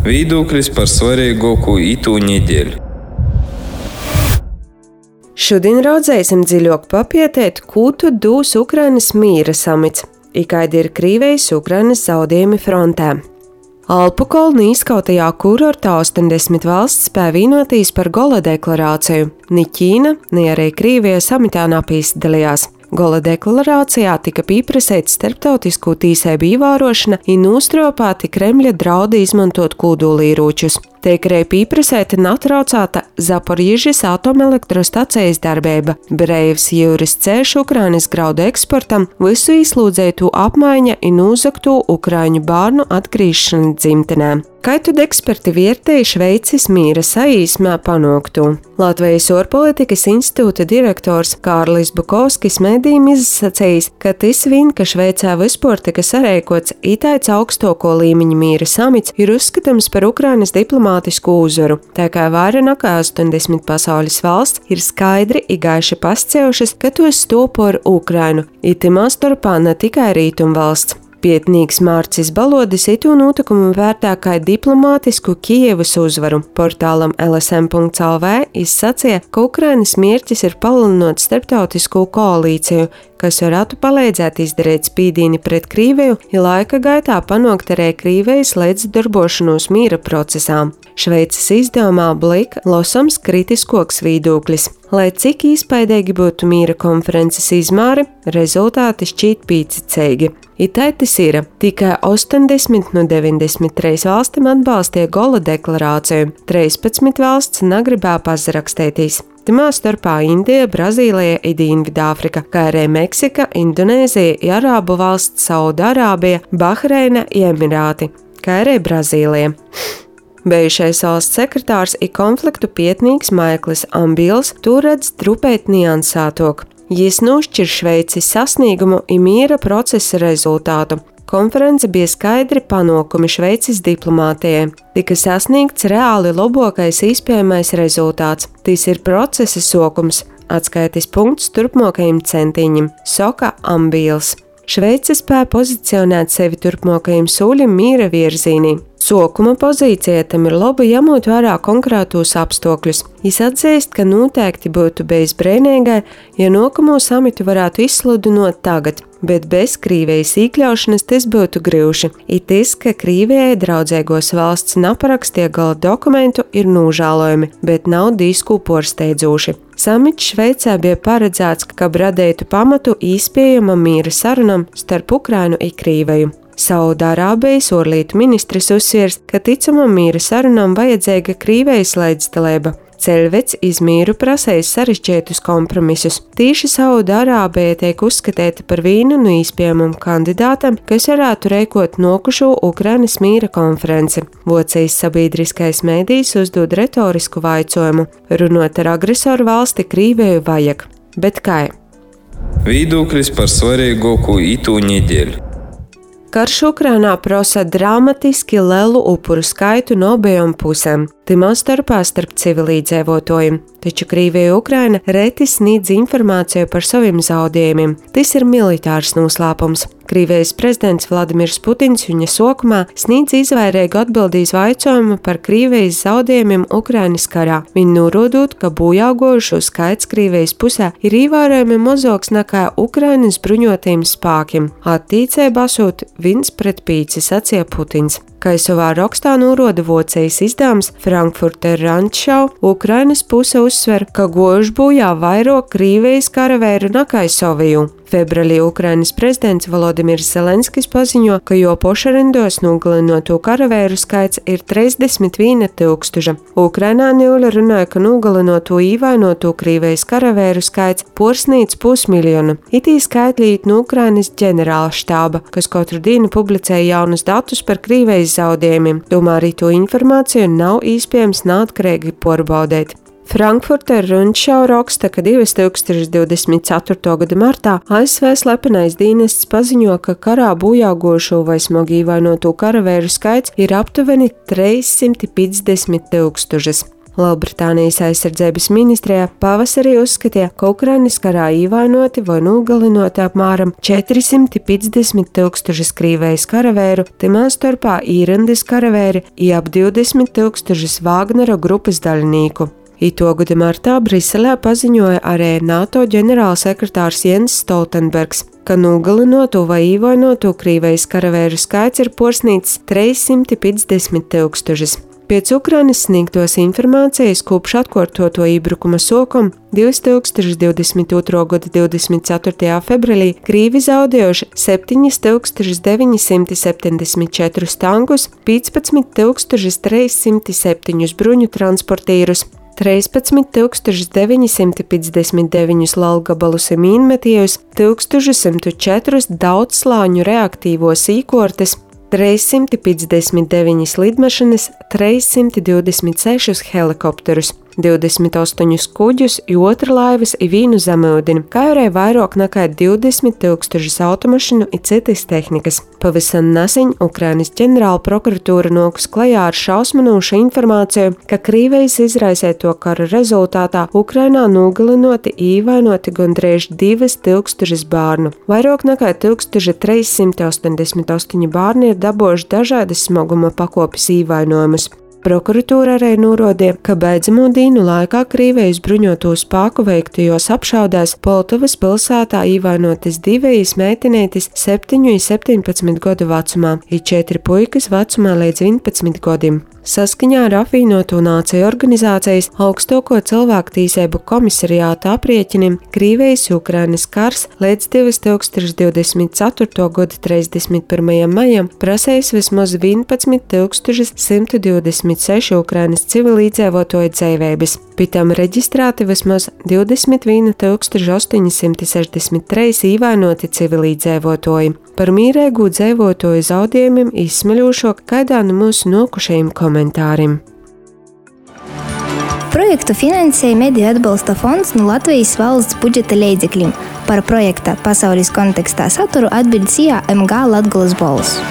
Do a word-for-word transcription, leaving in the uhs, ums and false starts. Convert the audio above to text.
Viedoklis par svarīgāko itū nedēļu. Šodien raudzēsim dziļāk papietēt, ko tad dūs Ukrainas mīra samits, i kādi ir Krīvijas Ukrainas zaudējumi frontē. Alpu kolnu izskautajā kurortā ostoņdesmit valsts spēja vienotīs par Gola deklarāciju. Ni Ķīna, ni arī Krīvija samitā napīsdalījās. Gola deklarācijā tika pieprasīta starptautisku tīsību ievērošana un nostropāti Kremļa draudi izmantot kodolieročus. Tiek arī pieprasīta neatraucēta Zaporīžas atomelektrostacijas darbība, breivs jūras ceļš Ukrainas graudu eksportam, visu izlūdzētu apmaiņa un uzaktu ukraiņu bērnu atgriežšanu dzimtenēm. Kā tad eksperti vērtēja Šveices mīra saīsmā panāktu? Latvijas ārpolitikas institūta direktors Kārlis Bukovskis mēdījiem izsacījis, ka tas vien, ka Šveicē vispār tika sarēkots itāits augstoko līmeņa mīra samits, ir uzskatāms par Ukrainas diplomātisku uzvaru. Tā kā vairāk nekā ostoņdesmit pasaules valsts ir skaidri i gaiši pascējušas, ka tos stopo ar Ukrainu, itimā starpā ne tikai rītumvalsts. Pietnīgs Mārcis Balodis itū notikumu vērtē kā diplomātisku Kijevas uzvaru. Portālam L S M punkts L V izsacīja, ka Ukrainas mērķis ir palielinot starptautisko koalīciju, kas varētu palīdzēt izdarīt spīdīni pret Krīviju, ja laika gaitā panākt arī Krīvijas līdzdarbošanos mīra procesā. Šveices izdevumā Blik lasams kritiskoks viedoklis. Lai cik īspaidīgi būtu mīra konferences izmēri, rezultāti šķīt pīcicīgi. Itai tas ir, tikai ostoņdesmit no deviņdesmit trīs valstīm atbalstīja Gola deklarāciju, trīspadsmit valsts negribēja pazarakstētīs. Timā starpā Indija, Brazīlija, Dienvidāfrika, kā arī Meksika, Indonēzija, Arābu valsts, Saudārābija, Bahreina, Emirāti, kā arī Brazīlija. Bijušais valsts sekretārs i konfliktu pietnīgs Maikls Ambils to redz trupēt niansētok. Jis nošķir Šveicis sasniegumu i mīra procesa rezultātu. Konference bija skaidri panākumi Šveicis diplomātijai. Tika sasniegts reāli labākais iespējamais rezultāts. Tas ir procesa sokums, atskaites punkts turpmākajiem centiņiem, saka Ambils. Šveice spēja pozicionēt sevi turpmākajiem soļiem mīra virzienī. Sokuma pozīcija tam ir laba ņemot vērā konkrētos apstākļus. Jis atzīst, ka noteikti būtu bijis brīnīgai, ja nākamo samitu varētu izsludinot tagad, bet bez Krīvijas iekļaušanas tas būtu grūti. It tas, ka Krīvijai draudzīgos valsts neparakstīja gala dokumentu, ir nožēlojami, bet nav disku porsteidzoši. Samits Šveicē bija paredzēts, ka radītu pamatu iespējamam mīra sarunam starp Ukrainu un Krīviju. Saudārābijas ārlietu ministrs uzsvers, ka ticamam mīra sarunam vajadzīga Krīvijas līdzdalība. Ceļvets izmīru prasējis sarežģītus kompromisus. Tīši Saudārābija tiek uzskatīta par vienu no iespējamam kandidātam, kas varētu rēkot nokušo Ukrainas mīra konferenci. Vocijas sabiedriskais mēdījis uzdod retorisku vaicojumu. Runot ar agresoru valsti Krīviju vajag. Bet kā? Viedoklis par svarīgāko itū nedēļu. Karš Ukrainā prasa dramatiski lielu upuru skaitu no abām pusēm, timā starpā starp civilīdzīvotājiem, taču Krīvija Ukraina reti sniedz informāciju par saviem zaudējumiem. Tas ir militārs noslēpums. Krīvijas prezidents Vladimirs Putins viņa sokumā sniedz izvairīgu atbildīs vaicojumu par Krīvijas zaudējumiem Ukrainas karā. Viņi norādot, ka bojāgojušo skaits Krīvijas pusē ir ievērojami mazāks nekā Ukrainas bruņotajiem spēkiem. Attīcēja basot viens pret pīci, sacīja Putins. Kā savā rakstā norāda Vocijas izdevums Frankfurter Rundschau, Ukrainas puse uzsver, ka gojuši bojā vairāk Krīvijas karavēru nekā Soviju. Februārī Ukrainas prezidents Volodimirs Zelenskis paziņo, ka jo pošarindos nogalinoto karavēru skaits ir trīsdesmit viena tūkstoša. Ukrainā Niuļa runāja, ka nogalinoto īvainoto Krīvijas karavēru skaits porsnīdz pusmiljonu. Itī skaitlīt no Ukrainas ģenerāla štāba, kas katru dienu publicēja jaunus datus par Krīvijas zaudējumiem. Tomēr to informāciju nav iespējams neatkarīgi pārbaudīt. Frankfurter Rundschau raksta, ka divi tūkstoši divdesmit ceturto gada martā A S V slepenais dienests paziņo, ka karā bojāgošo vai smagi ievainoto karavēru skaits ir aptuveni trīs simti piecdesmit tūkstošas. Lielbritānijas aizsardzības ministrijā pavasarī uzskatīja, ka Ukrainas karā ievainoti vai nogalinoti apmēram četri simti piecdesmit tūkstoši Krīvejas karavēru, timā starpā īrendes karavēri i ap divdesmit tūkstoši Vāgnera grupas daļnieku. Itogoda martā Briselē paziņoja arī NATO ģenerālsekretārs Jens Stoltenbergs, ka nogalinotu vai ievainotu Krīvejas karavēru skaits ir posnīts trīs simti piecdesmit tūkstošus. Pēc Ukrainas sniegtos informācijas kopš atkārtoto iebrukuma sākuma divtūkstoš divdesmit otrā gada divdesmit ceturtajā februārī Krīvi zaudējuši septiņi tūkstoši deviņi simti septiņdesmit četrus tankus, piecpadsmit tūkstoši trīs simti septiņus bruņu transportierus, trīspadsmit tūkstoši deviņi simti piecdesmit deviņus lalgabalus mīnmetējus, tūkstoš četrus daudzslāņu reaktīvos īkortes, trīs simti piecdesmit deviņas lidmašīnas, trīs simti divdesmit sešus helikopterus, divdesmit astoņus kuģus, otra laivas i vīnu zemūdeni, kā arī vairāk nekā divdesmit tūkstošus automašīnu i citas tehnikas. Pavisam nesen Ukrainas ģenerāla prokuratūra nākus klajā ar šausminošu informāciju, ka Krīvejas izraisīto kara rezultātā Ukrainā nogalinoti i ievainoti gandrīz divas tūkstošas bērnu. Vairāk nekā tūkstoš trīs simti astoņdesmit astoņi bērni ir dabūjuši dažādas smaguma pakopes ievainojumus. Prokuratūra arī norādīja, ka beidzamo dienu laikā Krīvejas bruņoto spēku veiktajos apšaudēs Poltavas pilsētā ievainotas divas meitenītes septiņu un septiņpadsmit gadu vecumā, ir četri puikas vecumā līdz vienpadsmit gadiem. Saskaņā ar apvienoto nāciju organizācijas augstāko cilvēktiesību komisariāta aprēķiniem Krīvejas Ukrainas kars līdz divtūkstoš divdesmit ceturtā gada trīsdesmit pirmajam maijam prasējis vismaz vienpadsmit tūkstoši simt divdesmit seši Ukrainas civilīdzīvotāju dzīvības, pēc tam reģistrēti vismaz divdesmit viens tūkstoši astoņi simti sešdesmit trīs ievainoti civilīdzīvotāji. Par mīrēgu dzīvotāju zaudējumiem izsmeļošāk kādā no mūsu nokušajiem komentāriem. Projektu finansēja Mediju atbalsta fonds no Latvijas valsts budžeta līdzekļiem. Par projekta pasaules kontekstā saturu atbildēja M G Latgolas balss.